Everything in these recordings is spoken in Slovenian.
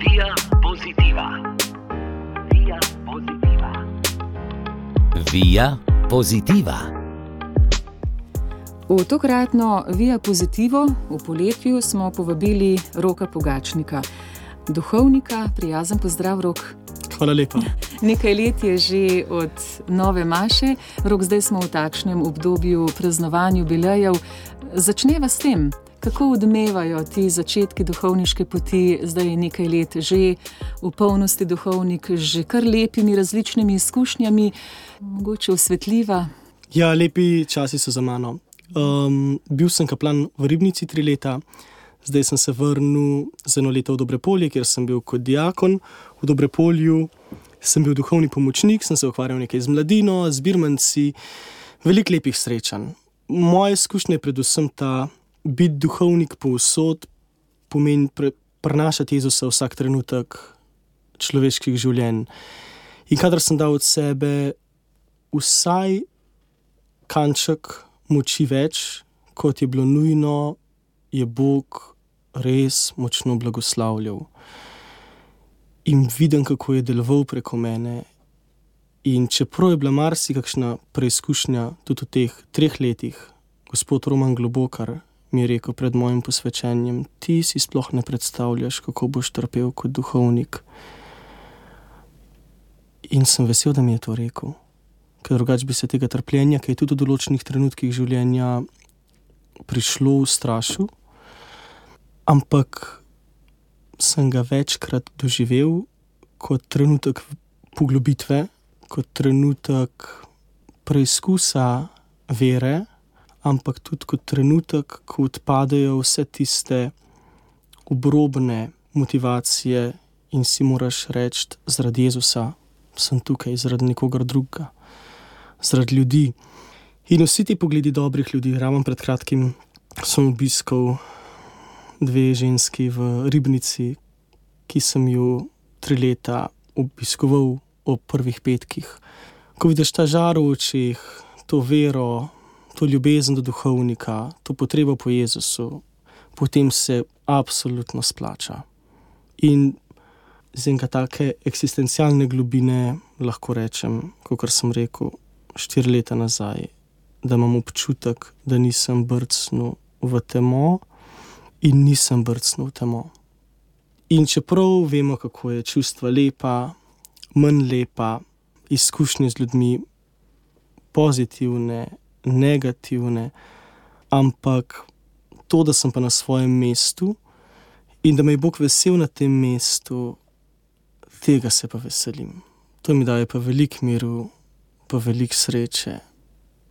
Via Positiva. Via Positiva. Via Positiva. V tokratno Via Positivo v poletju smo povabili Roka Pogačnika, duhovnika. Prijazen pozdrav, Rok. Hvala lepa. Nekaj let je že od nove maše. Rok, zdaj smo v takšnem obdobju praznovanj jubilejev. Začneva s tem, kako odmevajo ti začetki duhovniške poti. Zdaj je nekaj let že v polnosti duhovnik, že kar lepimi različnimi izkušnjami, mogoče osvetljiva. Ja, lepi časi so za mano. Bil sem kaplan v Ribnici 3 leta, zdaj sem se vrnil za 1 leto v Dobrepolje, kjer sem bil kot diakon. V Dobrepolju sem bil duhovni pomočnik, sem se ukvarjal nekaj z mladino, z birmanci, veliko lepih srečanj. Moja izkušnja je predvsem ta, biti duhovnik povsod pomeni prenašati Jezusa vsak trenutek človeških življenj. In kadar sem dal od sebe vsaj kanček moči več, kot je bilo nujno, je Bog res močno blagoslavljal. In vidim, kako je deloval preko mene. In čeprav je bila marsikakšna preizkušnja tudi v teh 3 letih, gospod Roman Globokar mi je rekel pred mojim posvečenjem: ti si sploh ne predstavljaš, kako boš trpel kot duhovnik. In sem vesel, da mi je to rekel. Ker drugače bi se tega trpljenja, ki je tudi v določenih trenutkih življenja prišlo, ustrašil. Ampak sem ga večkrat doživel kot trenutek poglobitve, kot trenutek preizkusa vere, ampak tudi kot trenutek, ko odpadejo vse tiste obrobne motivacije in si moraš reči: zaradi Jezusa sem tukaj, zaradi nikogar drugega, zaradi ljudi. In vsi ti pogledi dobrih ljudi. Ravno pred kratkim sem obiskal 2 ženski v Ribnici, ki sem ju 3 leta obiskoval ob prvih petkih. Ko vidiš ta žar v očeh, to vero, to ljubezen do duhovnika, to potrebo po Jezusu, potem se absolutno splača. In z enega take eksistencialne globine lahko rečem, kakor sem rekel 4 leta nazaj, da imam občutek, da nisem brcnil v temo in nisem brcnil v temo. In čeprav vemo, kako je čustva lepa, manj lepa, izkušnje z ljudmi pozitivne, negativne, ampak to, da sem pa na svojem mestu in da me je Bog vesel na tem mestu, tega se pa veselim. To mi daje pa veliko miru, pa veliko sreče.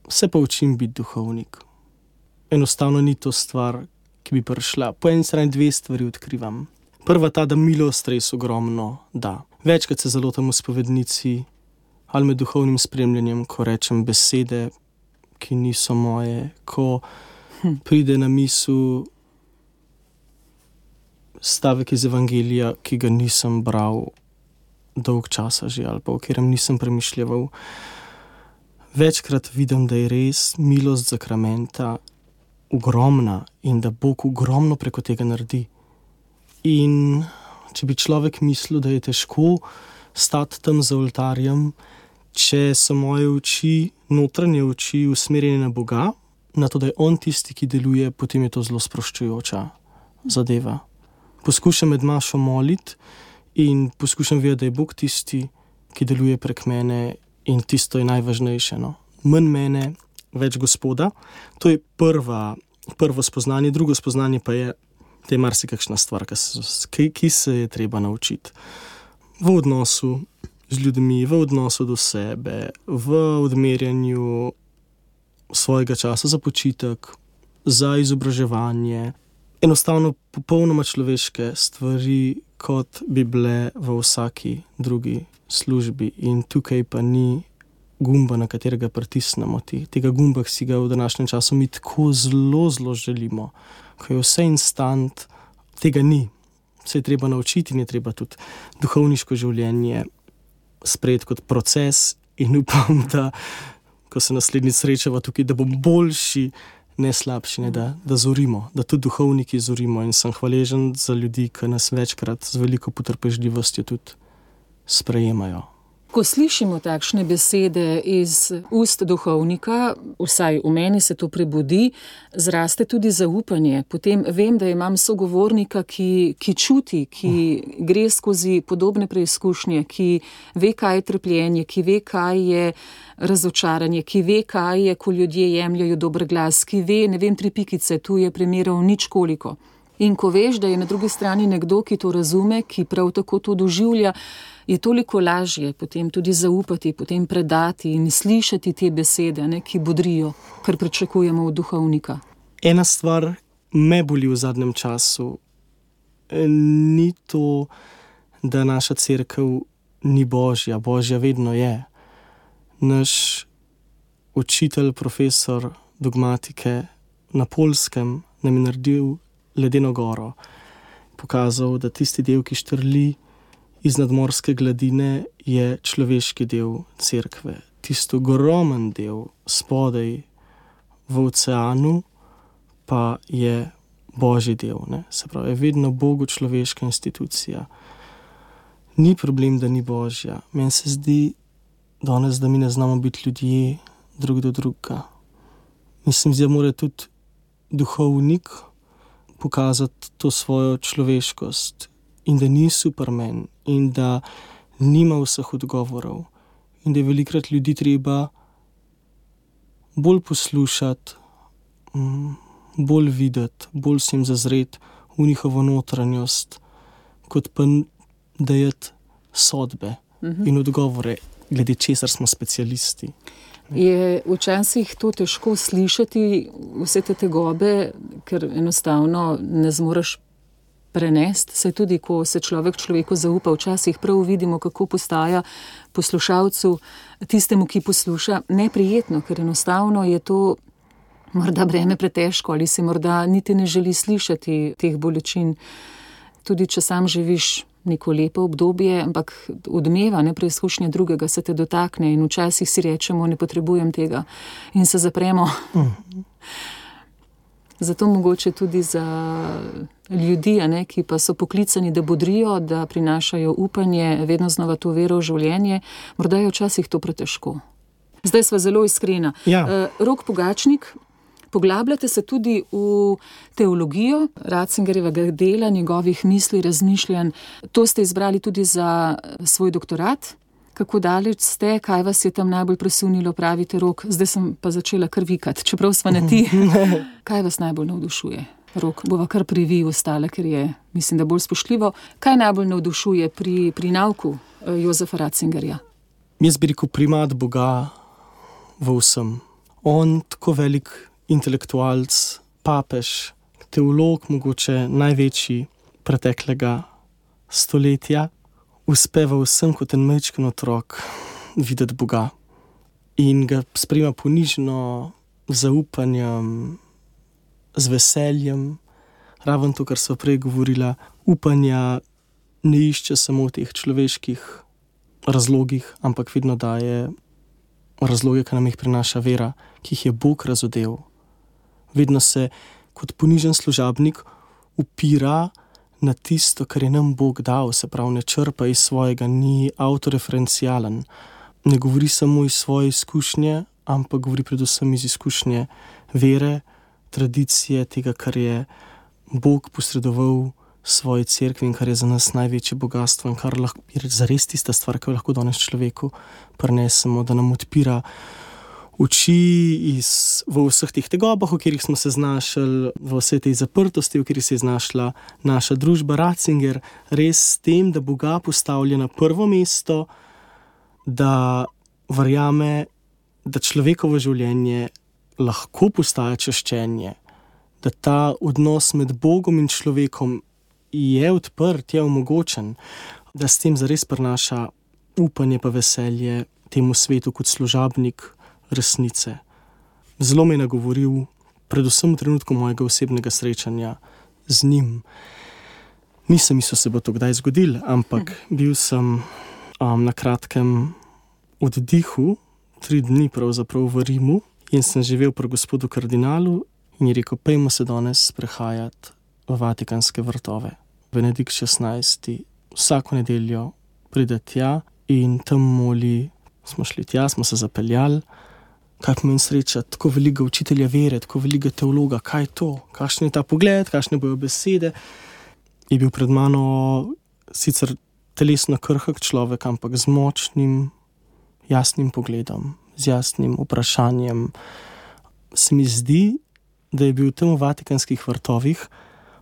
Se pa učim biti duhovnik. Enostavno ni to stvar, ki bi prišla. Po eni strani 2 stvari odkrivam. Prva ta, da milost res ogromno da. Večkrat se zalotam v spovednici ali med duhovnim spremljanjem, ko rečem besede, ki niso moje, ko pride na misel stavek iz Evangelija, ki ga nisem bral dolg časa že, ali pa o katerem nisem premišljeval. Večkrat vidim, da je res milost zakramenta ogromna in da Bog ogromno preko tega naredi. In če bi človek mislil, da je težko stati tam za oltarjem, če so moje oči, notranje oči, usmerjene na Boga, na to, da je On tisti, ki deluje, potem je to zelo sproščujoča zadeva. Poskušam med mašo moliti in poskušam vedeti, da je Bog tisti, ki deluje prek mene, in tisto je najvažnejše. No. Manj mene, več Gospoda. To je prvo spoznanje. Drugo spoznanje pa je, da je marsikakšna stvar, ki se je treba naučiti. V odnosu z ljudmi, v odnosu do sebe, v odmerjanju svojega časa za počitek, za izobraževanje. Enostavno popolnoma človeške stvari, kot bi bile v vsaki drugi službi. In tukaj pa ni gumba, na katerega pritisnemo. Tega gumba, ki si ga v današnjem času mi tako zelo, zelo želimo. Ko je vse instant, tega ni. Se je treba naučiti in je treba tudi duhovniško življenje sprejeti kot proces in upam, da ko se naslednjič srečava tukaj, da bom boljši ne slabši, ne, da zorimo, da tudi duhovniki zorimo, in sem hvaležen za ljudi, ki nas večkrat z veliko potrpežljivostjo tudi sprejemajo. Ko slišimo takšne besede iz ust duhovnika, vsaj v meni se to prebudi, zraste tudi zaupanje. Potem vem, da imam sogovornika, ki čuti, ki gre skozi podobne preizkušnje, ki ve, kaj je trpljenje, ki ve, kaj je razočaranje, ki ve, kaj je, ko ljudje jemljajo dober glas, ki ve, 3 pikice, tu je primerov nič koliko. In ko veš, da je na drugi strani nekdo, ki to razume, ki prav tako to doživlja, je toliko lažje potem tudi zaupati, potem predati in slišati te besede, ki bodrijo, kar pričakujemo od duhovnika. Ena stvar me boli v zadnjem času. Ni to, da naša cerkev ni božja. Božja vedno je. Naš učitelj, profesor dogmatike na Poljskem nam je naredil ledeno goro. Pokazal, da tisti del, ki štrli iz nadmorske gladine, je človeški del cerkve. Tisto ogromen del spodaj v oceanu pa je božji del. Ne? Se pravi, je vedno Bogu človeška institucija. Ni problem, da ni božja. Meni se zdi danes, da mi ne znamo biti ljudje drug do drugega. Mislim, da mora tudi duhovnik pokazati to svojo človeškost in da ni Superman in da nima vseh odgovorov in da je velikrat ljudi treba bolj poslušati, bolj videti, bolj se jim zazreti v njihovo notranjost, kot pa dajati sodbe in odgovore, glede česar smo specialisti. Je včasih to težko slišati, vse te tegobe, ker enostavno ne zmoreš prenesti. Se tudi, ko se človeku zaupa, včasih prav vidimo, kako postaja poslušalcu, tistemu, ki posluša, neprijetno, ker enostavno je to morda breme pretežko ali se morda niti ne želi slišati teh bolečin. Tudi, če sam živiš neko lepo obdobje, ampak odmeva, preizkušnja drugega se te dotakne in včasih si rečemo, ne potrebujem tega in se zapremo. Zato mogoče tudi za ljudi, ki pa so poklicani, da bodrijo, da prinašajo upanje, vedno znova to vero v življenje, morda je včasih to pretežko. Zdaj sva zelo iskrena. Ja. Rok Pogačnik, poglabljate se tudi v teologijo Ratzingerjevega dela, njegovih misli, razmišljanj. To ste izbrali tudi za svoj doktorat. Kako daleč ste, kaj vas je tam najbolj presunilo, pravite, Rok? Zdaj sem pa začela kar vikati, čeprav sva ne ti. Kaj vas najbolj navdušuje? Rok, bova kar privi ostale, ker je, mislim, da bolj spoštljivo. Kaj najbolj navdušuje pri nauku Jozefa Ratzingerja? Jaz bi rekel primat Boga v vsem. On, tako velik intelektualc, papež, teolog, mogoče največji preteklega stoletja, uspeva vsem kot en majčken otrok videti Boga in ga sprejema ponižno, z zaupanjem, z veseljem. Raven to, kar sva prej govorila, upanja ne išče samo v teh človeških razlogih, ampak vedno daje razloge, ki nam jih prinaša vera, ki jih je Bog razodel. Vedno se kot ponižen služabnik upira na tisto, kar je nam Bog dal, se pravi, ne črpa iz svojega, ni autoreferencialen. Ne govori samo iz svoje izkušnje, ampak govori predvsem iz izkušnje vere, tradicije, tega, kar je Bog posredoval svoji cerkvi in kar je za nas največje bogatstvo in kar je zares tista stvar, ki jo lahko danes človeku prinesemo, da nam odpira oči v vseh teh tegobah, v katerih smo se znašli, v vsej tej zaprtosti, v kateri se je znašla naša družba. Ratzinger res s tem, da Boga postavlja na prvo mesto, da verjame, da človekovo življenje lahko postaja čaščenje, da ta odnos med Bogom in človekom je odprt, je omogočen, da s tem zares prinaša upanje pa veselje temu svetu kot služabnik resnice. Zelo me je nagovoril, predvsem v trenutku mojega osebnega srečanja z njim. Nisem mislil, se bo to kdaj zgodilo, ampak bil sem na kratkem oddihu, 3 dni pravzaprav v Rimu in sem živel pri gospodu kardinalu in je rekel, pejmo se danes sprehajati v Vatikanske vrtove. Benedikt XVI. Vsako nedeljo pride tja in tam moli. Smo šli tja, smo se zapeljali. Kaj pomeni sreča, tako velikega učitelja vere, tako velikega teologa, kaj je to? Kakšen je ta pogled, kakšne bojo besede? Je bil pred mano sicer telesno krhek človek, ampak z močnim, jasnim pogledom, z jasnim vprašanjem. Se mi zdi, da je bil tam v Vatikanskih vrtovih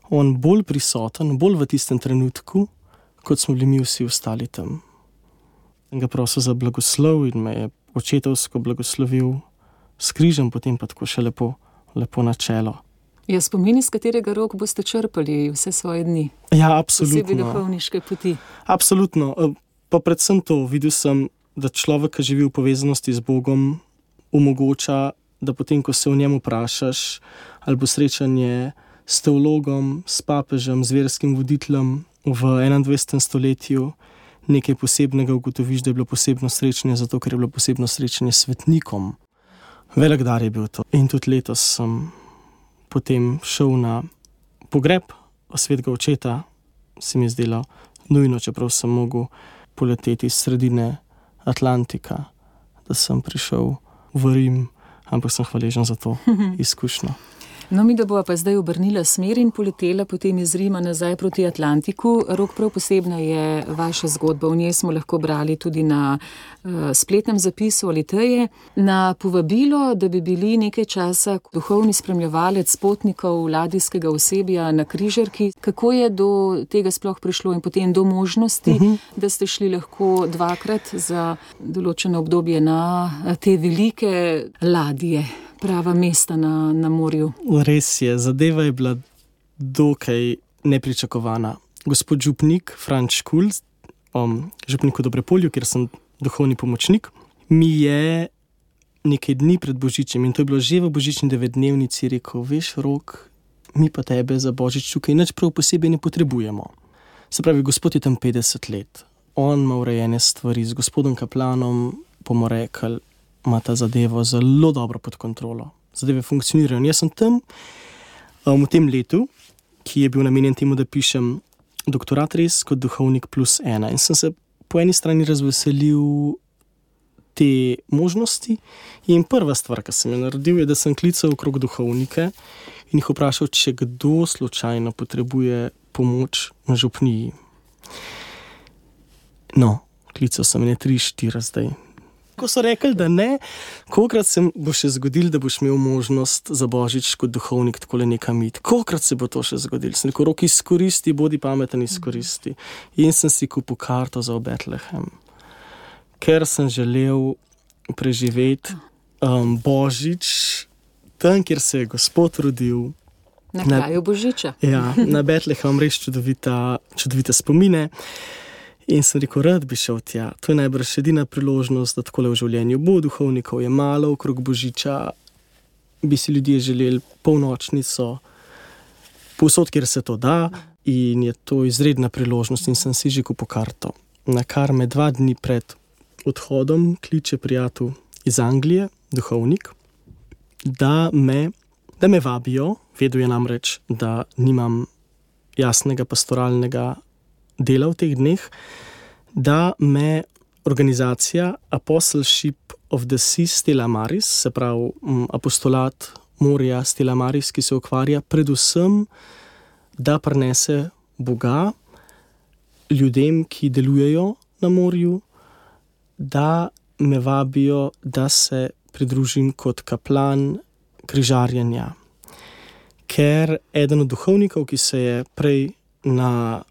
on bolj prisoten, bolj v tistem trenutku, kot smo bili mi vsi ostali tam. In ga prosil za blagoslov in me je očetovsko blagoslovil s križem, potem pa tako še lepo na čelo. Je spomin, iz katerega rok boste črpali vse svoje dni? Ja, absolutno. Posebej duhovniške poti. Absolutno. Pa predvsem to, videl sem, da človek, ki živi v povezanosti z Bogom, omogoča, da potem, ko se o njem vprašaš, ali bo srečanje s teologom, s papežem, z verskim voditeljem v 21. stoletju, nekaj posebnega, ugotoviš, da je bilo posebno srečanje, zato ker je bilo posebno srečanje s svetnikom. Velik dar je bil to. In tudi letos sem potem šel na pogreb svetega očeta, se mi je zdelo nujno, čeprav sem mogel poleteti iz sredine Atlantika, da sem prišel v Rim, ampak sem hvaležen za to izkušnjo. No, mi da bova pa zdaj obrnila smer in poletela potem iz Rima nazaj proti Atlantiku. Rok, prav posebna je vaša zgodba. V njej smo lahko brali tudi na spletnem zapisu Aliteje. Na povabilo, da bi bili nekaj časa duhovni spremljevalec potnikov ladijskega osebja na križarki. Kako je do tega sploh prišlo in potem do možnosti, da ste šli lahko dvakrat za določeno obdobje na te velike ladje? Prava mesta na morju. Res je, zadeva je bila dokaj nepričakovana. Gospod župnik Franč Škulc, župnik v Dobrepolju, kjer sem duhovni pomočnik, mi je nekaj dni pred Božičem, in to je bilo že v božični 9-dnevnici, rekel, veš, Rok, mi pa tebe za Božič tukaj nič prav posebej ne potrebujemo. Se pravi, gospod je tam 50 let. On ima urejene stvari, z gospodom kaplanom bomo rekli, ima ta zadevo zelo dobro pod kontrolo. Zadeve funkcionirajo. Jaz sem tam v tem letu, ki je bil namenjen temu, da pišem doktorat res kot duhovnik +1. In sem se po eni strani razveselil te možnosti. In prva stvar, ki sem jo naredil, je, da sem klical okrog duhovnike in jih vprašal, če kdo slučajno potrebuje pomoč na župniji. No, klical sem ne 3-4 zdaj. Ko so rekli, da ne, kolikrat se bo še zgodil, da boš imel možnost za Božič kot duhovnik takole nekam iti. Kolikrat se bo to še zgodil? Sem rekel, Rok, izkoristi, bodi pameten, izkoristi. In sem si kupil karto za Betlehem, ker sem želel preživeti Božič tam, kjer se je Gospod rodil. Na kraju Božiča. Ja, na Betlehem res čudovite spomine. In sem rekel, rad bi šel tja. To je najbrž edina priložnost, da takole v življenju bo. Duhovnikov je malo, okrog Božiča bi si ljudje želeli polnočnico, povsod, kjer se to da, in je to izredna priložnost in sem si že kupil karto. Na kar me 2 dni pred odhodom kliče prijatelj iz Anglije, duhovnik, da me vabijo, vedel je namreč, da nimam jasnega pastoralnega dela v teh dneh, da me organizacija Apostleship of the Sea Stella Maris, se pravi apostolat morja Stella Maris, ki se ukvarja predvsem, da prinese Boga ljudem, ki delujejo na morju, da me vabijo, da se pridružim kot kaplan križarjenja. Ker eden od duhovnikov, ki se je prej na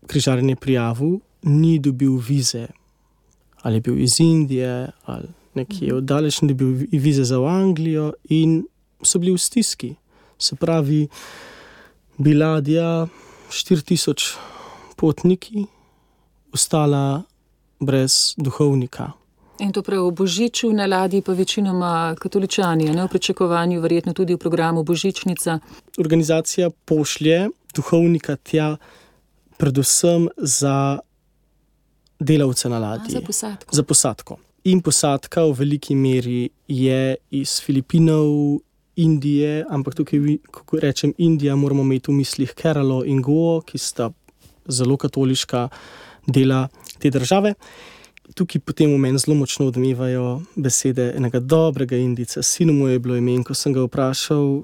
križarjenje prijavil, ni dobil vize. Ali je bil iz Indije, ali nekje oddaleč, ni dobil vize za v Anglijo in so bili v stiski. Se pravi, bi ladja 4000 potniki ostala brez duhovnika. In to prav v Božiču na ladji pa večinoma katoličani, ne v pričakovanju, verjetno tudi v programu Božičnica. Organizacija pošlje duhovnika tja predvsem za delavce na ladji. Za posadko. Za posadko. In posadka v veliki meri je iz Filipinov, Indije, ampak tukaj, ko rečem Indija, moramo imeti v mislih Keralo in Goa, ki sta zelo katoliška dela te države. Tukaj potem v meni zelo močno odmevajo besede enega dobrega Indijca. Sinu mu je bilo ime, in ko sem ga vprašal,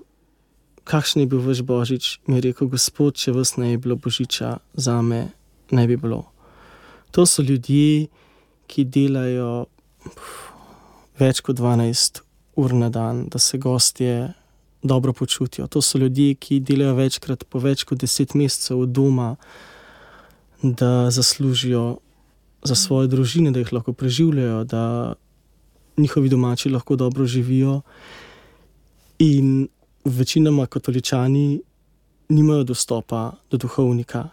kakšen je bil vaš božič, mi je rekel: Gospod, če vas ne je bilo božiča, zame ne bi bilo. To so ljudje, ki delajo več kot 12 ur na dan, da se gostje dobro počutijo. To so ljudje, ki delajo večkrat po več kot 10 mesecev od doma, da zaslužijo za svoje družine, da jih lahko preživljajo, da njihovi domači lahko dobro živijo. In večinoma katoličani nimajo dostopa do duhovnika.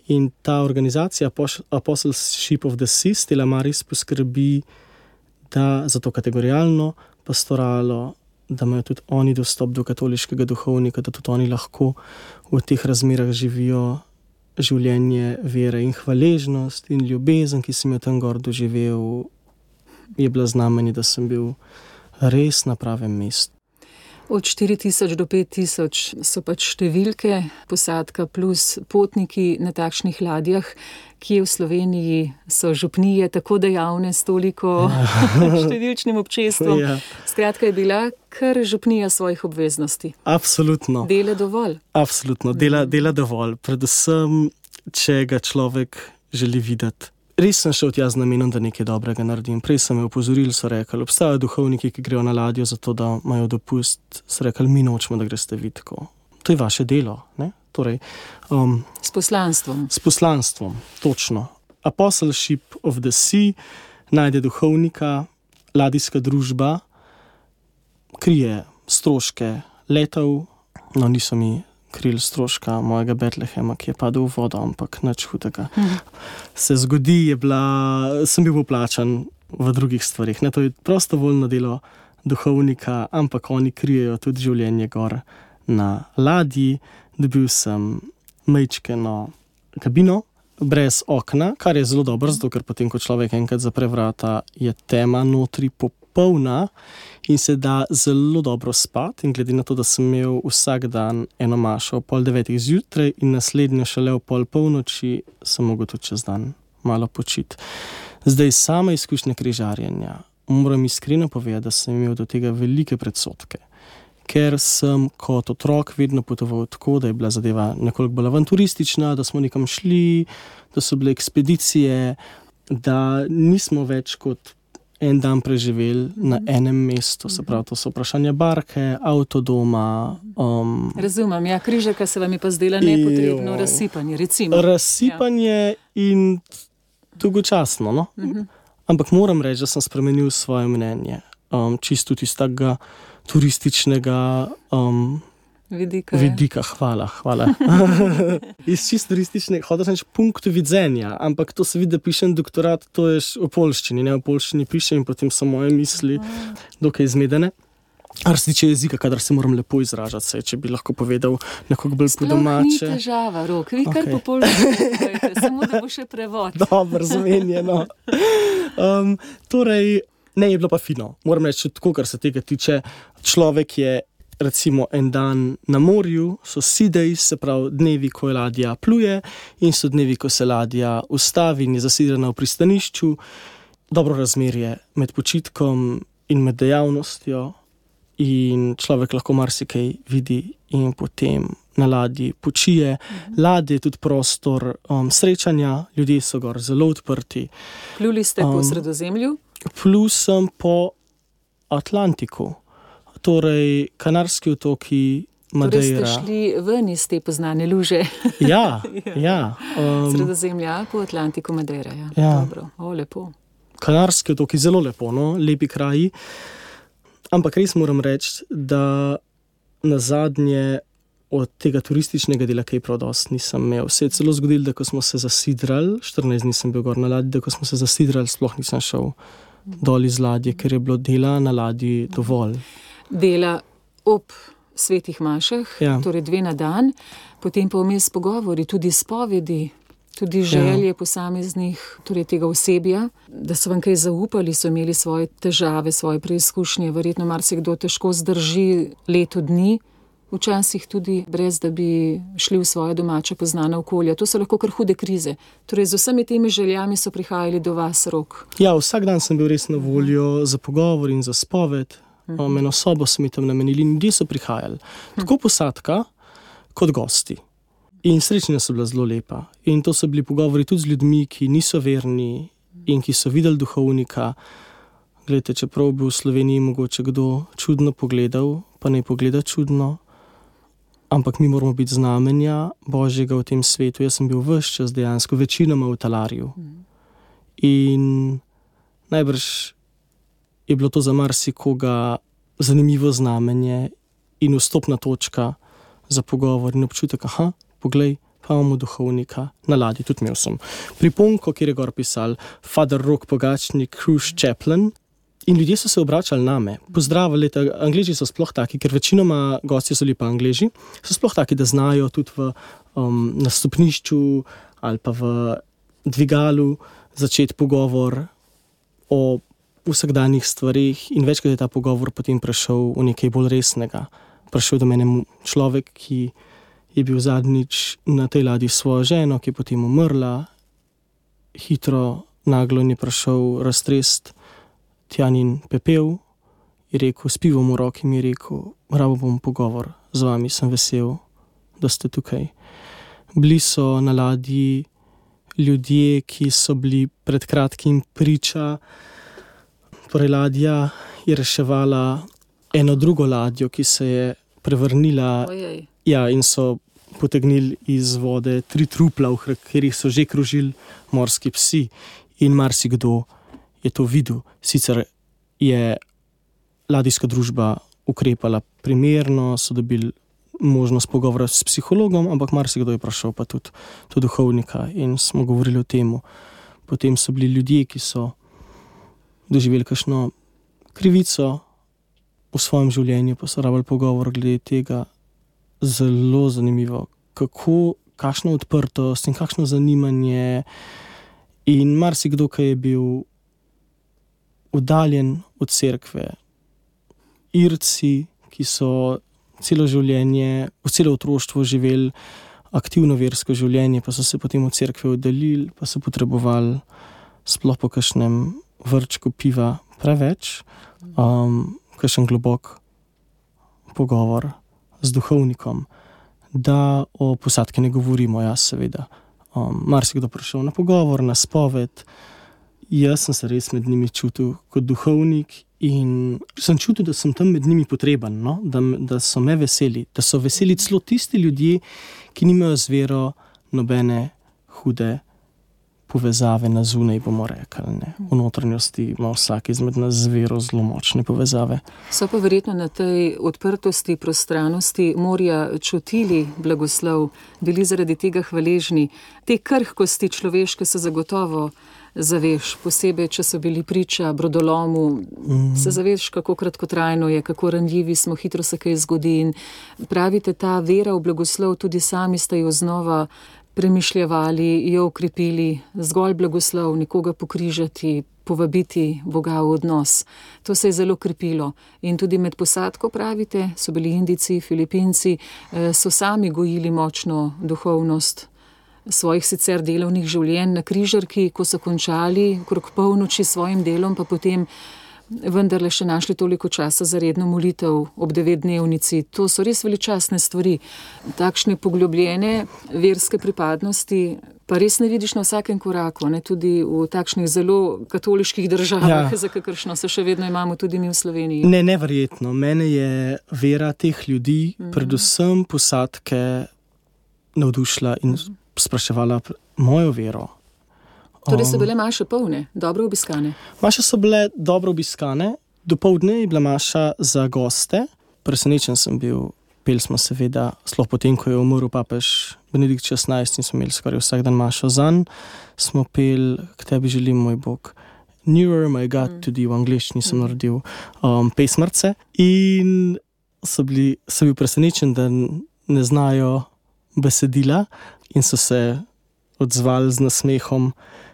In ta organizacija Apostleship of the Sea, Stella Maris, poskrbi, da za to kategorijalno pastoralo, da imajo tudi oni dostop do katoliškega duhovnika, da tudi oni lahko v teh razmerah živijo življenje vere in hvaležnost in ljubezen, ki sem jo tam gor doživel, je bila znamenje, da sem bil res na pravem mestu. Od 4000 do 5000 so pač številke, posadka plus potniki na takšnih ladjah, ki v Sloveniji so župnije tako dejavne s toliko številčnim občestvom. Ja. Skratka, je bila kar župnija svojih obveznosti. Absolutno. Dela dovolj. Absolutno, dela dovolj. Predvsem, če ga človek želi videti. Res sem šel tja z namenom, da nekaj dobrega naredim. Prej so me opozorili, so rekli, obstajajo duhovniki, ki grejo na ladjo zato, da imajo dopust. So rekli, mi nočemo, da greste vi tako. To je vaše delo, ne? Torej, s poslanstvom. S poslanstvom, točno. Apostleship of the Sea najde duhovnika, ladijska družba, krije stroške letov, no niso mi krili stroška mojega Betlehema, ki je padel v vodo, ampak nič hudega. Se zgodi, sem bil poplačan v drugih stvarih. Ne, to je prostovoljno delo duhovnika, ampak oni krijejo tudi življenje gor na ladji. Dobil sem majčkeno kabino, brez okna, kar je zelo dobro, zato ker potem, ko človek enkrat zapre vrata, je tema notri popolna in se da zelo dobro spati. In glede na to, da sem imel vsak dan eno mašo ob 8:30 zjutraj in naslednjo šele ob 8:30, sem mogel tudi čez dan malo počiti. Zdaj, sama izkušnja križarjenja, moram iskreno povedati, da sem imel do tega velike predsodke. Ker sem kot otrok vedno potoval tako, da je bila zadeva nekoliko bolj avanturistična, da smo nekam šli, da so bile ekspedicije, da nismo več kot en dan preživeli na enem mestu. Se pravi, to so vprašanja barke, avtodoma. Razumem, ja, križarka se vam je pa zdela nepotrebno razsipanje, recimo. Razsipanje in dolgočasno, no? Ampak moram reči, da sem spremenil svoje mnenje. Čisto iz takega turističnega vidika. Hvala. Iz čisto turističnega, hotel sem reči punktu videnja, ampak to se vidi, da pišem doktorat, to je v poljščini, ne v poljščini pišem in potem so moje misli dokaj zmedene. Kar se tiče jezika, kadar se moram lepo izražati, saj, če bi lahko povedal nekako bolj po domače. Sploh ni težava, Rok, vi kar po poljščini povedate, samo da bo še prevod. Dobro, zamenjeno. Torej, ne, je bilo pa fino. Moram reči, tako, kar se tega tiče, človek je recimo en dan na morju, so sea days, se pravi dnevi, ko je ladja pluje, in so dnevi, ko se ladja ustavi in je zasidrana v pristanišču. Dobro razmerje med počitkom in med dejavnostjo in človek lahko marsikaj vidi in potem na ladji počije. Ladje je tudi prostor srečanja, ljudje so gor zelo odprti. Pluli ste po Sredozemlju? Plul sem po Atlantiku, torej Kanarski otoki, Madeira. Torej ste šli ven iz te poznane luže. Ja. Sredozemlja po Atlantiku, Madeira, ja. Dobro, lepo. Kanarski otoki, zelo lepo, no, lepi kraji. Ampak res moram reči, da na zadnje od tega turističnega dela kaj prav dosti nisem imel. Se je celo zgodilo, da ko smo se zasidrali, 14 dni sem bil gor na ladji, da ko smo se zasidrali, sploh nisem šel dol iz ladje, ker je bilo dela na ladji dovolj. Dela ob svetih mašah, torej 2 na dan, potem pa vmes pogovori, tudi spovedi. tudi želje posameznih, torej tega osebja, da so vam kaj zaupali, so imeli svoje težave, svoje preizkušnje, verjetno marsikdo težko zdrži leto dni, včasih tudi brez, da bi šli v svoje domače poznane okolje. To so lahko kar hude krize. Torej z vsemi temi željami so prihajali do vas, Rok. Ja, vsak dan sem bil res na voljo za pogovor in za spoved. Eno sobo so mi tam namenili in ljudje so prihajali. Tako posadka, kot gosti. In srečanja so bila zelo lepa. In to so bili pogovori tudi z ljudmi, ki niso verni in ki so videli duhovnika. Glejte, čeprav bi v Sloveniji mogoče kdo čudno pogledal, pa ne pogleda čudno, ampak mi moramo biti znamenja Božjega v tem svetu. Jaz sem bil ves čas dejansko večinoma v Talarju. In najbrž je bilo to za marsikoga zanimivo znamenje in vstopna točka za pogovor in občutek, poglej, pa imamo duhovnika na ladji, tudi imel sem priponko, kjer je gor pisal Father Rok Pogačnik, Cruise Chaplain, in ljudje so se obračali name, pozdravili, Angleži so sploh taki, ker večinoma gosti so bili pa Angleži, so sploh taki, da znajo tudi na stopnišču ali pa v dvigalu začeti pogovor o vsakdanjih stvarih in večkrat je ta pogovor potem prešel v nekaj bolj resnega. Prišel do mene človek, ki je bil zadnjič na tej ladji s svojo ženo, ki je potem umrla. Hitro, naglo je prišel raztrest Tjanin pepel, je rekel, s pivom v roki mi je rekel, rabo bom pogovor z vami, sem vesel, da ste tukaj. Bili so na ladji ljudje, ki so bili pred kratkim priča. Torej ladja je reševala eno drugo ladjo, ki se je prevrnila. Ja, in so potegnili iz vode 3 trupla, v katerih so že krožili morski psi in marsikdo je to videl. Sicer je ladijska družba ukrepala primerno, so dobili možnost pogovora s psihologom, ampak marsikdo je prišel pa tudi do duhovnika in smo govorili o tem. Potem so bili ljudje, ki so doživeli kakšno krivico v svojem življenju, pa so rabili pogovor glede tega. Zelo zanimivo, kakšno odprtost in kakšno zanimanje. In marsikdo, ki je bil oddaljen od cerkve, Irci, ki so celo življenje, v celo otroštvo živeli aktivno versko življenje, pa so se potem od cerkve oddaljili, pa so potrebovali sploh po kakšnem vrčku piva preveč, kakšen globok pogovor z duhovnikom, da o posadki ne govorimo, jaz seveda. Marsikdo prišel na pogovor, na spoved. Jaz sem se res med njimi čutil kot duhovnik in sem čutil, da sem tam med njimi potreben, no? Da so me veseli, da so veseli celo tisti ljudje, ki nimajo z vero nobene hude povezave na zunaj, bomo rekli. Ne? V notranjosti ima vsak izmed nas z vero zelo močne povezave. So pa verjetno na tej odprtosti, prostranosti morja čutili blagoslov, bili zaradi tega hvaležni. Te krhkosti človeške so zagotovo zaveš, posebej, če so bili priča brodolomu, se zaveš, kako kratkotrajno je, kako ranljivi smo, hitro se kaj zgodi in pravite, ta vera v blagoslov, tudi sami ste jo znova premišljevali, jo ukrepili, zgolj blagoslov, nekoga pokrižati, povabiti Boga v odnos. To se je zelo krepilo. In tudi med posadko, pravite, so bili Indijci, Filipinci, so sami gojili močno duhovnost svojih sicer delovnih življenj na križarki, ko so končali okrog polnoči s svojim delom, pa potem vendarle še našli toliko časa za redno molitev ob 9-dnevnici. To so res veličastne stvari. Takšne poglobljene verske pripadnosti pa res ne vidiš na vsakem koraku, ne? Tudi v takšnih zelo katoliških državah, za kakršno se še vedno imamo tudi mi v Sloveniji. Ne, neverjetno. Mene je vera teh ljudi, predvsem posadke, navdušila in spraševala mojo vero. Torej so bile maše polne, dobro obiskane? Maše so bile dobro obiskane. Dopoldne je bila maša za goste. Presenečen sem bil. Peli smo seveda, sploh potem, ko je umrl papež Benedikt XVI in smo imeli skoraj vsak dan mašo zanj, smo peli K tebi želim, moj Bog. Nearer my God, tudi v angliščini sem naredil pesmrce. In sem bil presenečen, da ne znajo besedila in so se odzvali z nasmehom,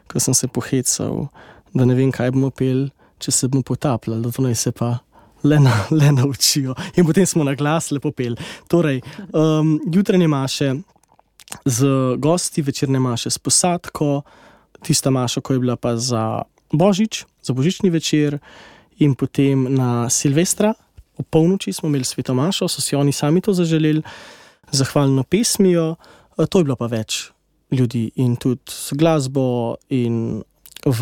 ko sem se pohecal, da ne vem, kaj bomo peli, če se bomo potapljali, da to naj se pa le naučijo. In potem smo na glas lepo peli. Torej, jutranje maše z gosti, večerne maše s posadko, tista maša, ko je bila pa za Božič, za božični večer, in potem na Silvestra, ob polnoči smo imeli sveto mašo, so si oni sami to zaželeli, zahvalno pesmijo, to je bilo pa več ljudi in tudi s glasbo in v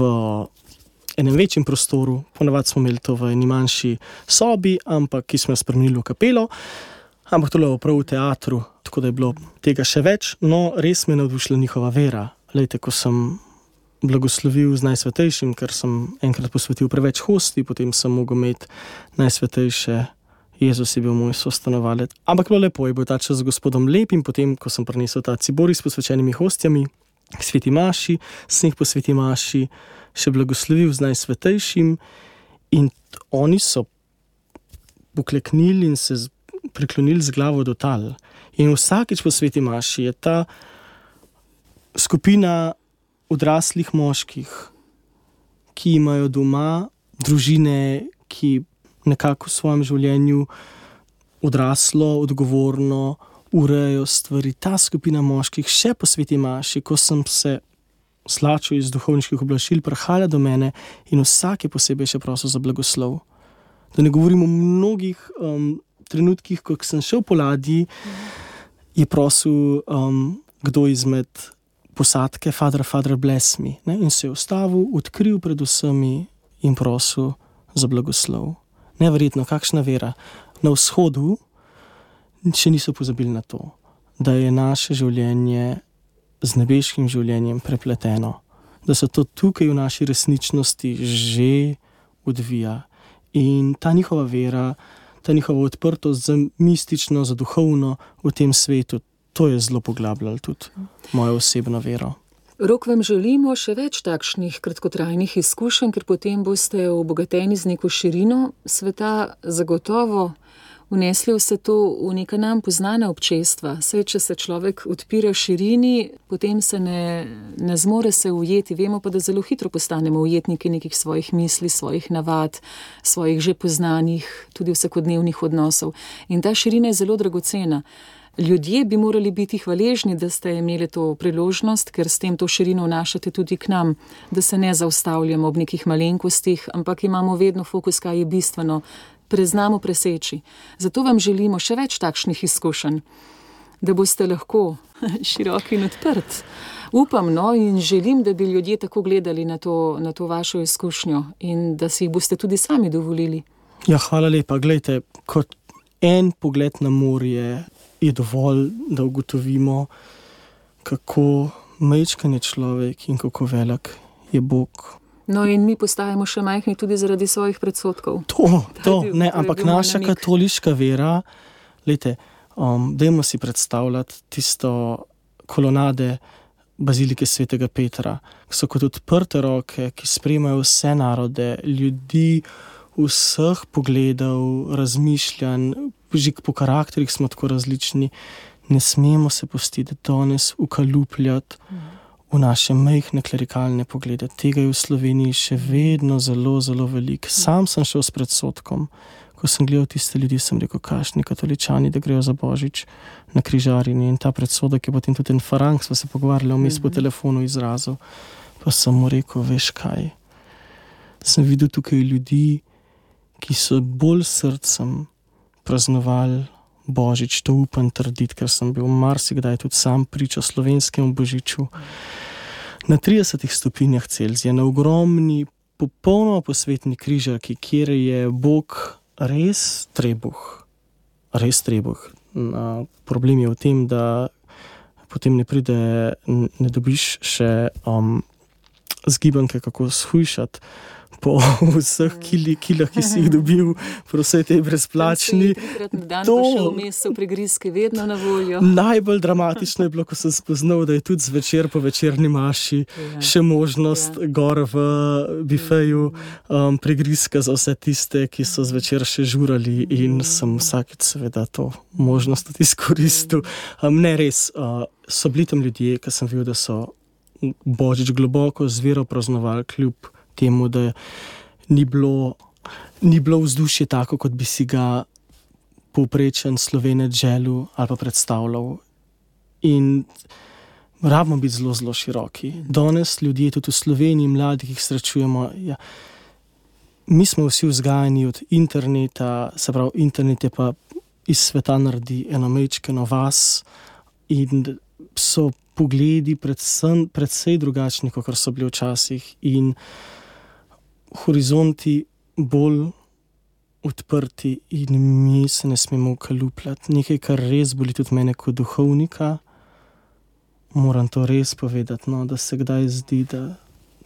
enem večjem prostoru, ponavadi smo imeli to v eni manjši sobi, ampak ki smo jo spremenili v kapelo, ampak to je bilo prav v teatru, tako da je bilo tega še več, no res me je navdušila njihova vera. Lejte, ko sem blagoslovil z Najsvetejšim, ker sem enkrat posvetil preveč hosti, potem sem mogel imeti Najsvetejše, Jezus je bil moj sostanovalec. Ampak bilo lepo, je bil ta čas z Gospodom lep in potem, ko sem prinesel ta ciboris s posvečenimi hostjami k sveti maši, sem jih po sveti maši še blagoslovil z Najsvetejšim in oni so pokleknili in se priklonili z glavo do tal. In vsakič po sveti maši je ta skupina odraslih moških, ki imajo doma družine, ki nekako v svojem življenju odraslo, odgovorno urejajo stvari. Ta skupina moških še po sveti maši, ko sem se slačil iz duhovniških oblačil, prihaja do mene in vsak je posebej še prosil za blagoslov. Da ne govorim o mnogih trenutkih, ko sem šel po ladji, je prosil kdo izmed posadke, Father, bless me. Ne? In se je ustavil, odkril pred vsemi in prosil za blagoslov. Neverjetno, kakšna vera. Na vzhodu še niso pozabili na to, da je naše življenje z nebeškim življenjem prepleteno. Da se to tukaj v naši resničnosti že odvija. In ta njihova vera, ta njihova odprtost za mistično, za duhovno v tem svetu, to je zelo poglabljalo tudi mojo osebno vero. Rok, vam želimo še več takšnih kratkotrajnih izkušenj, ker potem boste obogateni z neko širino sveta, zagotovo vnesli vse to v neka nam poznana občestva. Saj, če se človek odpira širini, potem se ne zmore se ujeti. Vemo pa, da zelo hitro postanemo ujetniki nekih svojih misli, svojih navad, svojih že poznanih, tudi vsakodnevnih odnosov. In ta širina je zelo dragocena. Ljudje bi morali biti hvaležni, da ste imeli to priložnost, ker s tem to širino vnašate tudi k nam, da se ne zaustavljamo ob nekih malenkostih, ampak imamo vedno fokus, kaj je bistveno, preznamo preseči. Zato vam želimo še več takšnih izkušenj, da boste lahko široki in odprt. Upam, in želim, da bi ljudje tako gledali na to vašo izkušnjo in da si jih boste tudi sami dovolili. Ja, hvala lepa. Glejte, kot en pogled na morje je dovolj, da ugotovimo, kako majčken je človek in kako velik je Bog. No in mi postajamo še majhni tudi zaradi svojih predsodkov. Ampak naša katoliška vera, glejte, dajmo si predstavljati tisto kolonade bazilike svetega Petra, ki so kot odprte roke, ki sprejemajo vse narode, ljudi vseh pogledov, razmišljanj, že po karakterih smo tako različni, ne smemo se pustiti danes ukalupljati v naše majhne klerikalne poglede. Tega je v Sloveniji še vedno zelo, zelo veliko. Sam sem šel s predsodkom, ko sem gledal tiste ljudi, sem rekel, kakšni katoličani, da grejo za Božič na križarjenje. In ta predsodek je potem tudi en Farang, sva se pogovarjali vmes po telefonu izrazil. Pa sem mu rekel, veš kaj, sem videl tukaj ljudi, ki so bolj srcem praznovali Božič, to upam trditi, ker sem bil marsikdaj tudi sam priča slovenskemu Božiču. Na 30 stopinjah Celzija, na ogromni, popolnoma posvetni križarki, kjer je Bog res trebuh. Problem je v tem, da potem ne dobiš še zgibanke, kako shujšati po vseh kilah, ki si jih dobil, po vsej tej brezplačni. Trikrat na dan pa še vmes so prigrizke vedno na voljo. Najbolj dramatično je bilo, ko sem spoznal, da je tudi zvečer po večerni maši še možnost gor v bifeju prigrizka za vse tiste, ki so zvečer še žurali, in sem vsakič seveda to možnost tudi izkoristil. Ne res, so bili tam ljudje, ki sem videl, da so božič globoko z vero praznovali, kljub temu, da ni bilo vzdušje tako, kot bi si ga povprečen Slovenec želel ali pa predstavljal. In rabimo biti zelo, zelo široki. Danes ljudje, tudi v Sloveniji, mladi, ki jih srečujemo, mi smo vsi vzgajani od interneta, se pravi, internet je pa iz sveta naredi eno majčkeno vas in so pogledi predvsej drugačni, kot so bili včasih, in horizonti bolj odprti, in mi se ne smemo ukalupljati. Nekaj, kar res boli tudi mene kot duhovnika, moram to res povedati, no, da se kdaj zdi, da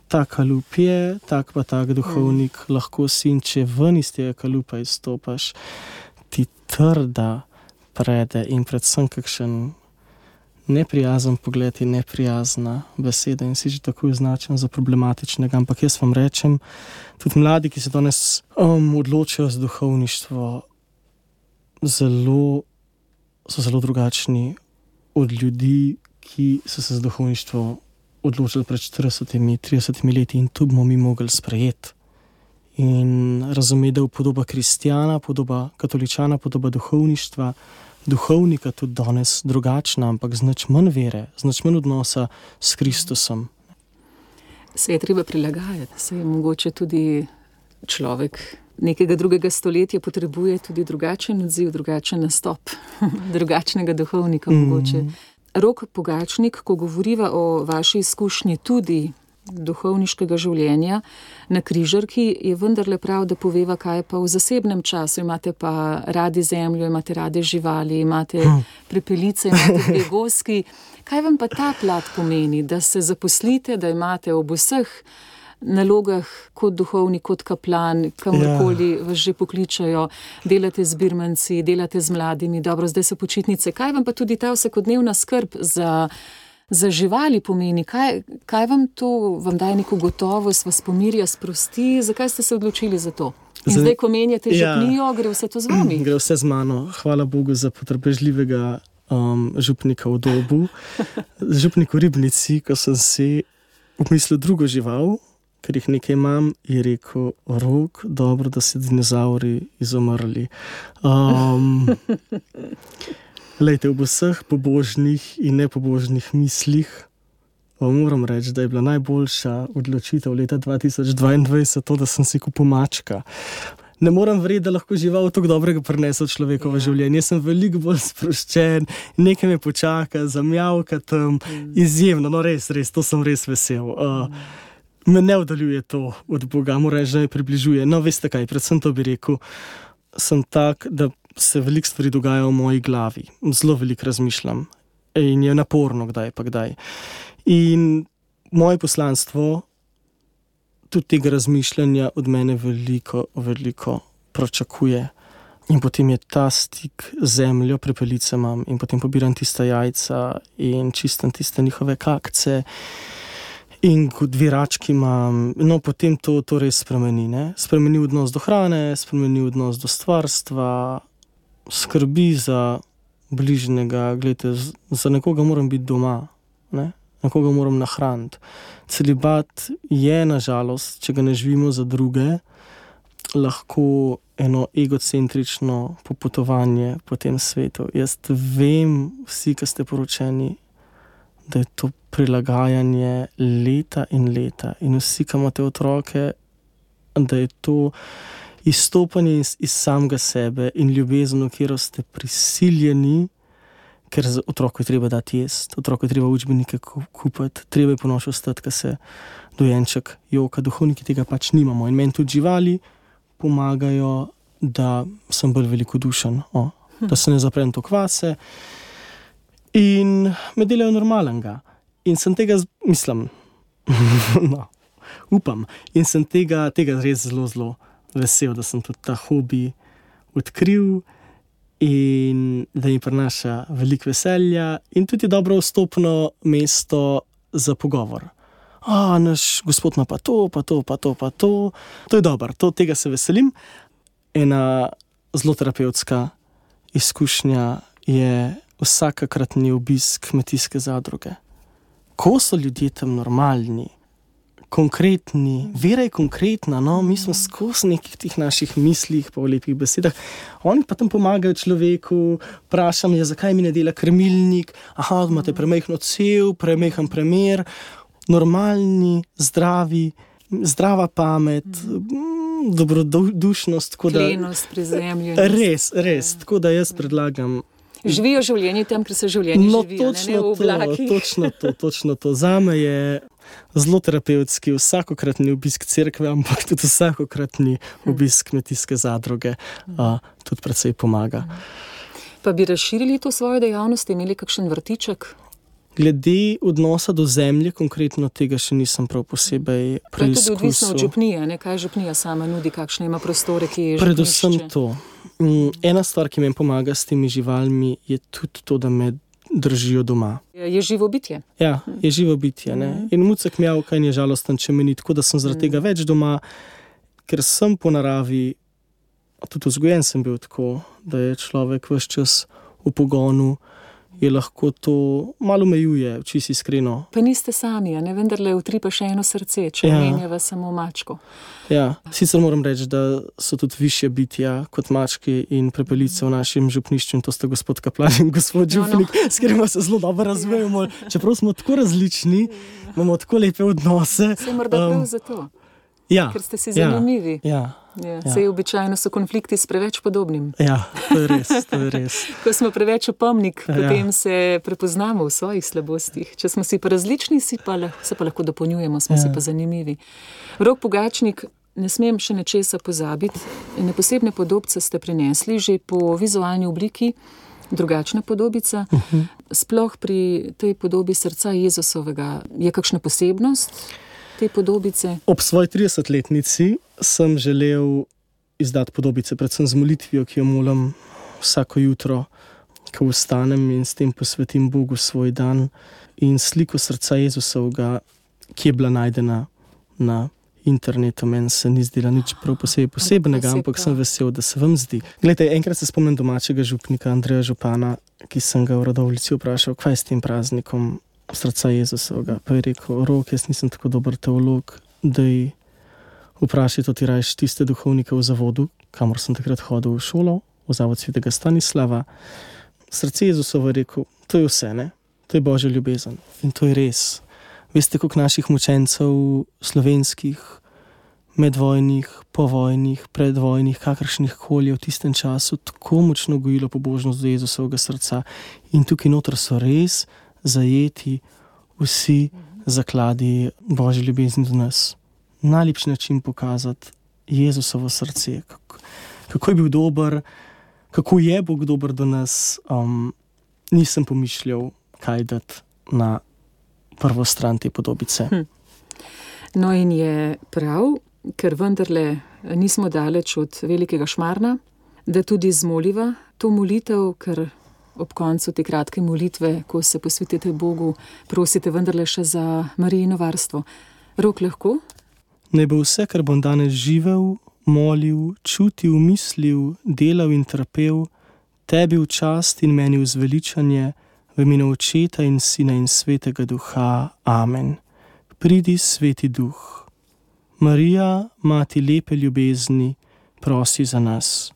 ta kalup je, tak pa tak duhovnik lahko si, in če ven iz tega kalupa izstopaš, ti trda prede in predvsem kakšen neprijazen pogled in neprijazna beseda in si že tako označen za problematičnega. Ampak jaz vam rečem, tudi mladi, ki se danes odločajo za duhovništvo, so zelo drugačni od ljudi, ki so se za duhovništvo odločili pred 40-30 leti, in to bomo mi mogli sprejeti. In razumeti, da je podoba kristjana, podoba katoličana, podoba duhovništva, duhovnika tudi danes drugačna, ampak z nič manj vere, z nič manj odnosa s Kristusom. Se je treba prilagajati, se je mogoče tudi človek nekega drugega stoletja potrebuje tudi drugačen odziv, drugačen nastop, drugačnega duhovnika mogoče. Rok Pogačnik, ko govoriva o vaši izkušnji tudi duhovniškega življenja na križarki, je vendarle prav, da poveva, kaj pa v zasebnem času. Imate pa radi zemljo, imate radi živali, imate prepelice, imate dve goski. Kaj vam pa ta plat pomeni, da se zaposlite, da imate ob vseh nalogah kot duhovnik, kot kaplan, kamorkoli vas že pokličajo, delate z birmanci, delate z mladimi, dobro, zdaj so počitnice. Kaj vam pa tudi ta vsakodnevna skrb za živali pomeni? Kaj vam to, vam daje neko gotovost, vas pomirja, sprosti? Zakaj ste se odločili za to? In zdaj, ko menjate župnijo, gre vse to z vami? Gre vse z mano. Hvala Bogu za potrpežljivega župnika v Dobu. Župnik v Ribnici, ko sem si umislil drugo žival, ker jih nekaj imam, je rekel: Rok, dobro, da se dinozauri izumrli. Lejte, v vseh pobožnih in nepobožnih mislih moram reči, da je bila najboljša odločitev leta 2022 to, da sem si kupil mačka. Ne moram verjeti, da lahko žival tako dobrega prinese v človekovo življenje. Jaz sem veliko bolj sproščen, nekaj me počaka, zamjavka tam, izjemno, no res, to sem res vesel. Me ne oddaljuje to od Boga, moram reči, da me približuje. No, veste kaj, predvsem to bi rekel, sem tak, da se veliko stvari dogaja v moji glavi. Zelo veliko razmišljam in je naporno kdaj pa kdaj. In moje poslanstvo tudi tega razmišljanja od mene veliko, veliko pričakuje. In potem je ta stik z zemljo, prepelice imam in potem pobiram tista jajca in čistam tiste njihove kakce. In kot dve rački imam, no potem to res spremeni, ne? Spremeni odnos do hrane, spremeni odnos do stvarstva, skrbi za bližnjega, gledajte, za nekoga moram biti doma, ne? Nekoga moram nahraniti. Celibat je, nažalost, če ga ne živimo za druge, lahko eno egocentrično popotovanje po tem svetu. Jaz vem, vsi, ki ste poročeni, da je to prilagajanje leta in leta. In vsi, ki imate otroke, da je to izstopanje iz samega sebe in ljubezen, v katero ste prisiljeni, ker za otroku je treba dati jesti, otroku je treba učbenike kupiti, treba je ponoči ostati, ko se dojenček joka. Duhovniki tega pač nimamo. In meni tudi živali pomagajo, da sem bolj velikodušen, da se ne zaprem to kvase. In me delajo normalnega. In sem tega, mislim, no, upam, in sem tega res zelo, zelo vesel, da sem tudi ta hobi odkril in da mi prinaša veliko veselja in tudi dobro vstopno mesto za pogovor. Naš gospod ima pa to. To je dobro, tega se veselim. Ena zelo terapevtska izkušnja je vsakokratni obisk kmetijske zadruge. ko so ljudje tam normalni, konkretni, vera je konkretna, no, mi smo skozi nekih tih naših mislih pa v lepih besedah, oni pa tam pomagajo človeku, vprašam je, zakaj mi ne dela krmilnik, imate premajhno cev, premajhen premer, normalni, zdravi, zdrava pamet, dobrodušnost, klenost pri zemlji. Res, tako da jaz predlagam. Živijo življenje tam, ker se življenje živijo, ne v oblakih. Točno to. Zame je zelo terapevtski vsakokratni obisk cerkve, ampak tudi vsakokratni obisk kmetijske zadruge tudi precej pomaga. Pa bi razširili to svojo dejavnost, imeli kakšen vrtiček? Glede odnosa do zemlje, konkretno tega še nisem prav posebej preizkusil. To je tudi odvisno od župnije, ne? Kaj župnija sama nudi, kakšne ima prostore, ki je župnišče? Predvsem to. Ena stvar, ki mi pomaga s temi živalmi, je tudi to, da me držijo doma. Je živo bitje. Ja, je živo bitje. Ne? In mucek mjavka in je žalosten, če meni, tako da sem zaradi tega več doma, ker sem po naravi, tudi vzgojen sem bil tako, da je človek ves čas v pogonu, je lahko to malo omejuje, čisto iskreno. Pa niste sami, ne? Vendarle utripa še eno srce, če menjava samo mačko. Ja, sicer moram reči, da so tudi višje bitja kot mački in prepelice v našem župnišču, in to sta gospod Kaplan in gospod župnik, s katerima se zelo dobro razumemo. Čeprav smo tako različni, imamo tako lepe odnose. Se morda prav zato, ker ste si zanimivi. Sej običajno so konflikti s preveč podobnim. Ja, to je res. Ko smo preveč opomnik, potem se prepoznamo v svojih slabostih. Če smo si pa različni, se pa lahko dopolnjujemo, smo si pa zanimivi. Rok Pogačnik, ne smem še nečesa pozabiti. Ene posebne podobce ste prinesli že po vizualni obliki, drugačna podobica. Sploh pri tej podobi srca Jezusovega je kakšna posebnost te podobice? Ob svoji 30-letnici sem želel izdati podobice, predvsem z molitvijo, ki jo molim vsako jutro, ko vstanem in s tem posvetim Bogu svoj dan, in sliko srca Jezusovega, ki je bila najdena na internetu. Meni se ni zdela nič prav posebnega, ampak sem vesel, da se vam zdi. Glejte, enkrat se spomnim domačega župnika Andreja Župana, ki sem ga v Radovljici vprašal, kaj je s tem praznikom srca Jezusovega. Pa je rekel, Rok, jaz nisem tako dober teolog, da vprašaj to ti rajš tiste duhovnike v zavodu, kamor sem takrat hodil v šolo, v zavod svetega Stanislava. Srce Jezusovo je rekel, to je vse, ne? To je Božja ljubezen. In to je res. Veste, koliko naših mučencev slovenskih, medvojnih, povojnih, predvojnih, kakršnih koli v tistem času tako močno gojilo pobožnost do Jezusovega srca. In tukaj noter so res zajeti vsi zakladi Božje ljubezni do nas. Najlepši način pokazati Jezusovo srce, kako je bil dober, kako je Bog dober do nas, nisem pomišljal, kaj dati na prvo stran te podobice. No in je prav, ker vendarle nismo daleč od velikega Šmarna, da tudi zmoliva to molitev, ker ob koncu te kratke molitve, ko se posvetite Bogu, prosite vendarle še za Marijino varstvo. Rok, lahko? Naj bo vse, kar bom danes živel, molil, čutil, mislil, delal in trpel, tebi v čast in meni v zveličanje, v imenu Očeta in Sina in Svetega Duha. Amen. Pridi, Sveti Duh. Marija, mati lepe ljubezni, prosi za nas.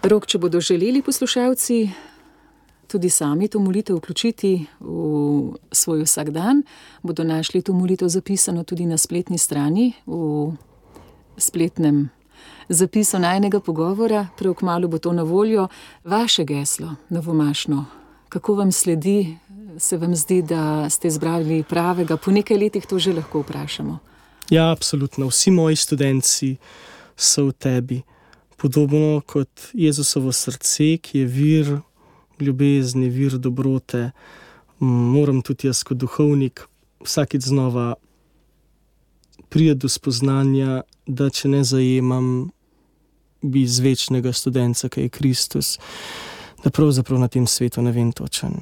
Rok, če bodo želeli poslušalci tudi sami to molitev vključiti v svoj vsakdan, bodo našli to molitev zapisano tudi na spletni strani, v spletnem zapisu najinega pogovora. Prav kmalu bo to na voljo. Vaše geslo, novomašno, kako vam sledi? Se vam zdi, da ste izbrali pravega? Po nekaj letih to že lahko vprašamo. Ja, absolutno. Vsi moji študentci so v tebi. Podobno kot Jezusovo srce, ki je vir ljubezni, vir dobrote, moram tudi jaz kot duhovnik vsakič znova priti do spoznanja, da če ne zajemam izvečnega studenca, ki je Kristus, da pravzaprav na tem svetu ne vem točen,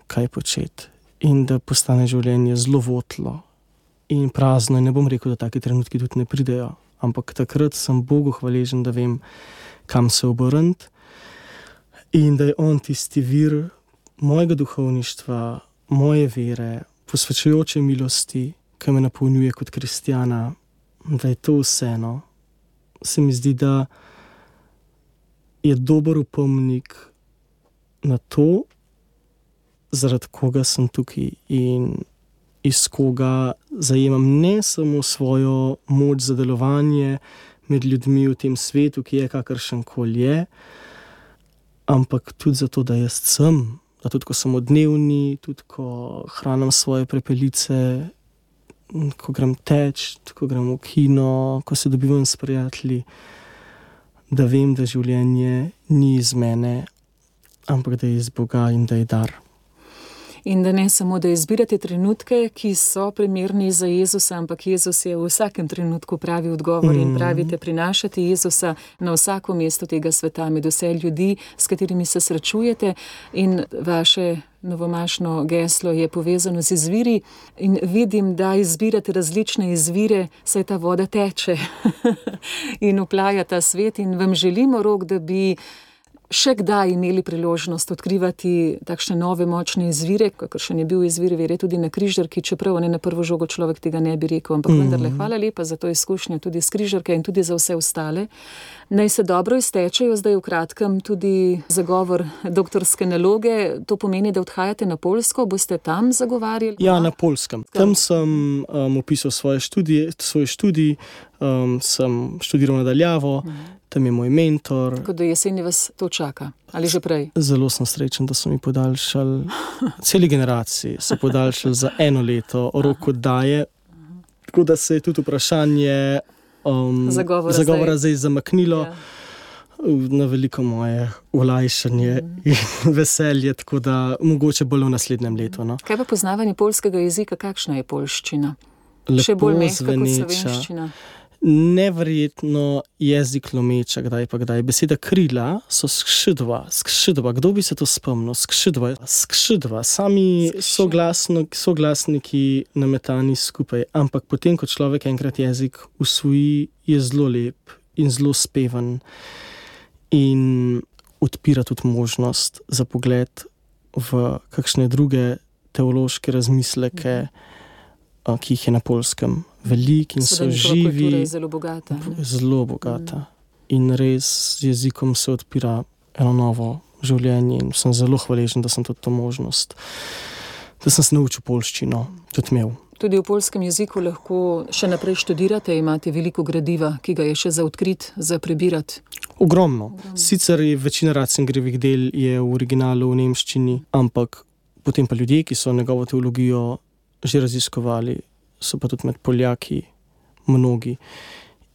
kaj početi, in da postane življenje zelo votlo in prazno. In ne bom rekel, da taki trenutki tudi ne pridejo, ampak takrat sem Bogu hvaležen, da vem, kam se obrniti, in da je on tisti vir mojega duhovništva, moje vere, posvečujoče milosti, ki me napolnjuje kot kristjana, da je to vseeno. Se mi zdi, da je dober opomnik na to, zaradi koga sem tukaj in iz koga zajemam ne samo svojo moč za delovanje med ljudmi v tem svetu, ki je kakršenkoli je, ampak tudi zato, da jaz sem, da tudi ko sem odnevni, tudi ko hranim svoje prepelice, ko grem teč, ko grem v kino, ko se dobivam s prijatelji, da vem, da življenje ni iz mene, ampak da je iz Boga in da je dar. In da ne samo, da izbirate trenutke, ki so primerni za Jezusa, ampak Jezus je v vsakem trenutku pravi odgovor in pravite prinašati Jezusa na vsako mesto tega sveta, med vse ljudi, s katerimi se srečujete. In vaše novomašno geslo je povezano z izviri in vidim, da izbirate različne izvire, saj ta voda teče in oplaja ta svet in vam želimo, Rok, da bi še kdaj imeli priložnost odkrivati takšne nove močne izvire, kakršen je bil izvir vere tudi na križarki, čeprav ne na prvo žogo človek tega ne bi rekel, ampak vendarle hvala lepa za to izkušnjo tudi s križarke in tudi za vse ostale. Naj se dobro iztečejo zdaj v kratkem tudi zagovor doktorske naloge. To pomeni, da odhajate na Poljsko, boste tam zagovarjali? Ja, na Poljskem. Tam sem opisal svoj študij, sem študiral nadaljavo, tam je moj mentor. Tako da jeseni vas to čaka, ali že prej? Zelo sem srečen, da so mi podaljšali, celi generaciji so podaljšali za 1 leto rok oddaje, tako da se je tudi vprašanje zagovora zdaj zamaknilo na veliko moje olajšanje in veselje, tako da mogoče bolj v naslednjem letu. No. Kaj pa poznavanje poljskega jezika, kakšna je poljščina? Lepo še bolj mehka kot zveneča. slovenščina? Neverjetno jezik lomeča, kdaj pa kdaj. Beseda krila so skšidva. Kdo bi se to spomnil? Skšidva. Sami soglasniki nametani skupaj. Ampak potem, ko človek enkrat jezik usvoji, je zelo lep in zelo speven in odpira tudi možnost za pogled v kakšne druge teološke razmisleke, ki jih je na Poljskem veliko in so živi. Kultura je zelo bogata. Zelo bogata. In res z jezikom se odpira eno novo življenje in sem zelo hvaležen, da sem tudi to možnost, da sem se naučil poljščino, tudi imel. Tudi v poljskem jeziku lahko še naprej študirate, imate veliko gradiva, ki ga je še za odkrit, za prebirati. Ogromno. Sicer je večina Ratzingerjevih del je v originalu v nemščini, ampak potem pa ljudje, ki so njegovo teologijo že raziskovali, so pa tudi med Poljaki mnogi.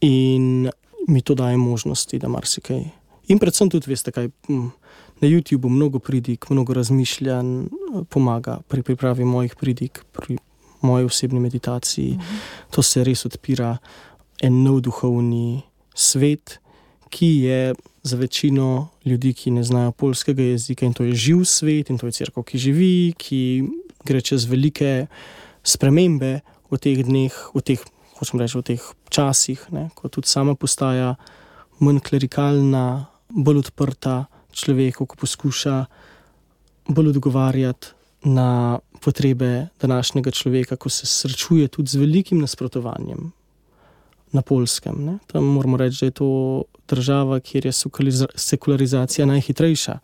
In mi to daje možnosti, da marsikaj. In predvsem tudi, veste kaj, na YouTubeu mnogo pridik, mnogo razmišljanj pomaga pri pripravi mojih pridik, pri moji osebni meditaciji. To se res odpira en nov duhovni svet, ki je za večino ljudi, ki ne znajo poljskega jezika, in to je živ svet, in to je cerkev, ki živi, ki gre čez velike spremembe v teh dneh, v teh časih, ne, ko tudi sama postaja manj klerikalna, bolj odprta človeku, ko poskuša bolj odgovarjati na potrebe današnjega človeka, ko se srečuje tudi z velikim nasprotovanjem na Poljskem. Ne. Tam moramo reči, da je to država, kjer je sekularizacija najhitrejša.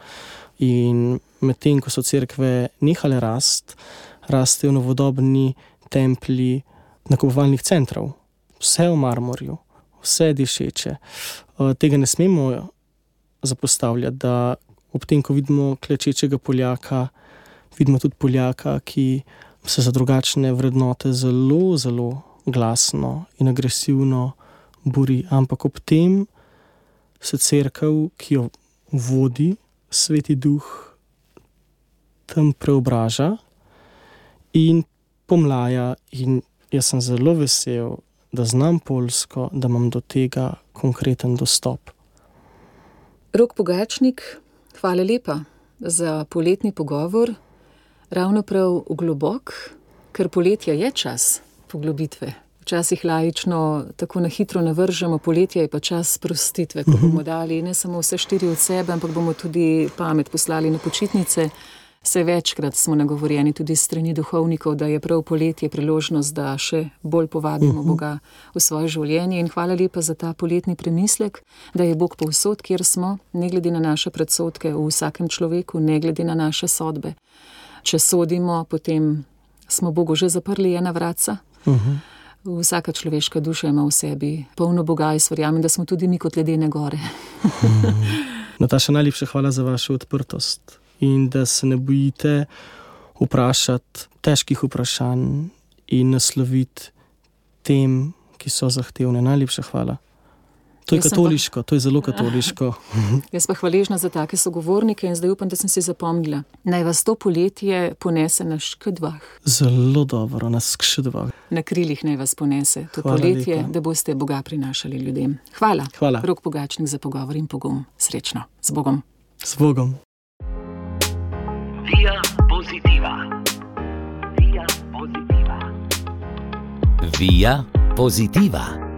In medtem, ko so cerkve nehale rastejo novodobni templji nakupovalnih centrov. Vse v marmorju, vse dišeče. Tega ne smemo zapostavljati, da ob tem, ko vidimo klečečega Poljaka, vidimo tudi Poljaka, ki se za drugačne vrednote zelo, zelo glasno in agresivno bori. Ampak ob tem se cerkev, ki jo vodi Sveti Duh, tam preobraža in pomlaja. In jaz sem zelo vesel, da znam poljsko, da imam do tega konkreten dostop. Rok Pogačnik, hvala lepa za poletni pogovor. Ravno prav globok, ker poletja je čas poglobitve. Včasih laično tako na hitro navržemo, poletje je pa čas sprostitve, ko bomo dali ne samo vse 4 od sebe, ampak bomo tudi pamet poslali na počitnice. Saj večkrat smo nagovorjeni tudi s strani duhovnikov, da je prav poletje priložnost, da še bolj povabimo Boga v svoje življenje. In hvala lepa za ta poletni premislek, da je Bog povsod, kjer smo, ne glede na naše predsodke v vsakem človeku, ne glede na naše sodbe. Če sodimo, potem smo Bogu že zaprli ena vratca. Vsaka človeška duša ima v sebi polno Boga in verjamem, da smo tudi mi kot ledene gore. Nataša, najlepša hvala za vašo odprtost in da se ne bojite vprašati težkih vprašanj in nasloviti tem, ki so zahtevne. Najlepša hvala. To je katoliško, to je zelo katoliško. Jaz pa hvaležna za take sogovornike in zdaj upam, da sem si zapomnila. Naj vas to poletje ponese na škedvah. Zelo dobro, na škedvah. Na krilih naj vas ponese to Hvala poletje, lepa. da boste Boga prinašali ljudem. Hvala. Hvala. Rok Pogačnik za pogovor in pogum. Srečno. Z Bogom. Z Bogom. Via Positiva. Via Positiva. Via Positiva.